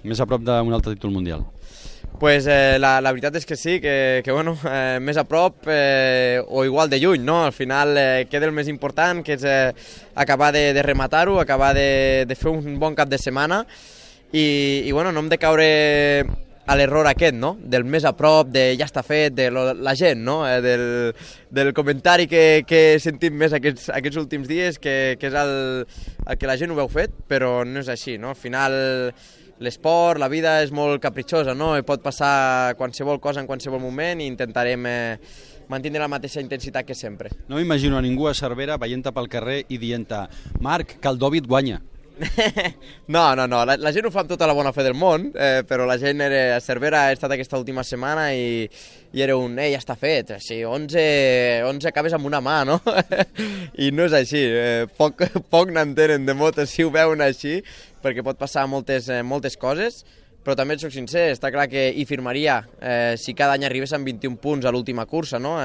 Més a prop d'un altre títol mundial. Pues la veritat és que sí, que bueno, més a prop o igual de lluny, no? Al final queda el més important, que és acabar de rematar-ho, acabar de fer un bon cap de setmana i bueno, no hem de caure a l'error aquest, no? Del més a prop, de ja està fet, de la gent, no? Del comentari que he sentit més aquests últims dies, que és el que la gent ho veu fet, però no és així, no? Al final l'esport, la vida és molt capritxosa, no? I pot passar qualsevol cosa en qualsevol moment i intentarem mantenir la mateixa intensitat que sempre. No m'imagino a ningú a Cervera veient-te pel carrer i dient-te «Marc, que el Dòvit guanya». No, la gent ho fa amb tota la bona fe del món, però la gent a Cervera ha estat aquesta última setmana i era un ja està fet, sí, 11 acabes amb una mà, no? I no és així, poc n'entenen de moto si ho veuen així, perquè pot passar moltes coses, però també et soc sincer, està clar que hi firmaria si cada any arribés amb 21 punts a l'última cursa, no?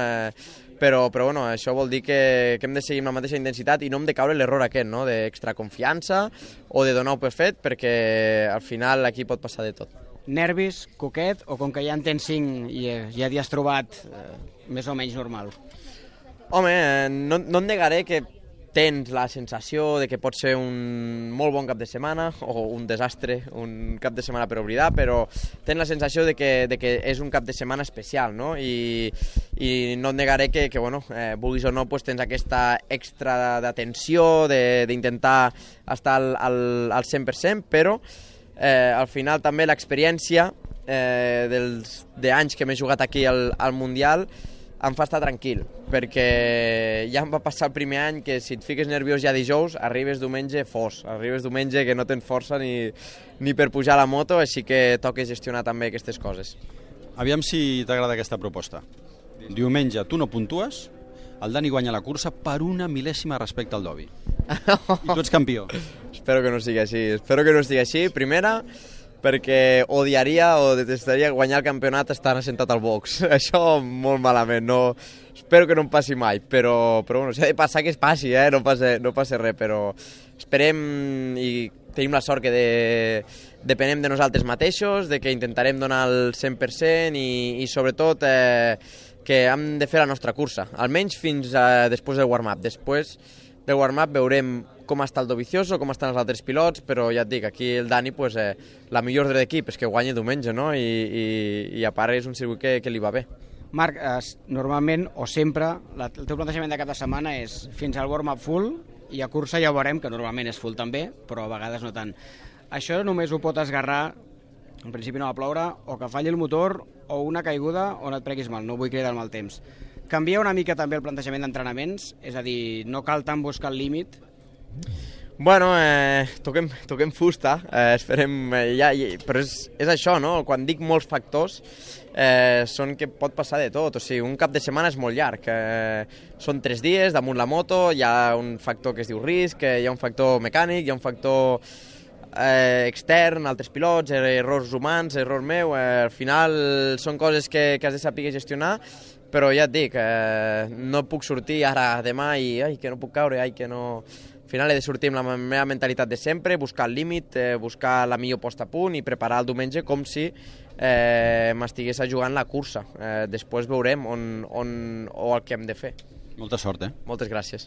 Però bueno, això vol dir que hem de seguir amb la mateixa intensitat i no hem de caure l'error aquest, no? D'extra confiança o de donar-ho per fet, perquè al final aquí pot passar de tot. Nervis, coquet, o com que ja en tens 5 i ja t'hi has trobat més o menys normal? Home, no et negaré que tens la sensació de que pot ser un molt bon cap de setmana o un desastre, un cap de setmana per oblidar, però tens la sensació de que és un cap de setmana especial, no? I no et negaré que bueno, vulguis o no, pues tens aquesta extra d'atenció, d'intentar estar al 100%, però al final també l'experiència d'anys que m'he jugat aquí al Mundial em fa estar tranquil, perquè ja em va passar el primer any que si et fiques nerviós ja dijous, arribes diumenge arribes diumenge que no tens força ni per pujar a la moto, així que toca gestionar també aquestes coses. Aviam si t'agrada aquesta proposta. Diumenge tu no puntues, el Dani guanya la cursa per una mil·lèsima respecte al Dovi. I tu ets campió. Espero que no sigui així. Primera, perquè odiaria o detestaria guanyar el campionat estant assentat al box. Això molt malament, no... Espero que no em passi mai, però bueno, si ha de passar que es passi, no passa res, però esperem i tenim la sort que depenem de nosaltres mateixos, de que intentarem donar el 100% i sobretot que hem de fer la nostra cursa, almenys fins després del warm-up. Després del warm-up veurem com està el Dovizioso, com estan els altres pilots, però ja et dic, aquí el Dani, pues, la millor ordre d'equip és que guanyi diumenge, no? I a part és un circuit que li va bé. Marc, normalment o sempre el teu plantejament de cap de setmana és fins al warm-up full i a cursa ja ho veurem, que normalment és full també, però a vegades no tant. Això només ho pot esgarrar, en principi no va ploure, o que falli el motor o una caiguda on et preguis mal, no vull cridar el mal temps. Canvia una mica també el plantejament d'entrenaments, és a dir, no cal tant buscar el límit. Bueno, toquem fusta, esperem, però és això, no? Quan dic molts factors, són que pot passar de tot, o sigui, un cap de setmana és molt llarg, són 3 dies damunt la moto, hi ha un factor que es diu risc, hi ha un factor mecànic, hi ha un factor extern, altres pilots, errors humans, error meu, al final són coses que has de saber gestionar, però ja et dic, no puc sortir ara demà i que no puc caure, que no... Al final he de sortir amb la meva mentalitat de sempre, buscar el límit, buscar la millor posta a punt i preparar el diumenge com si m'estigués jugant la cursa. Després veurem o el que hem de fer. Molta sort, Moltes gràcies.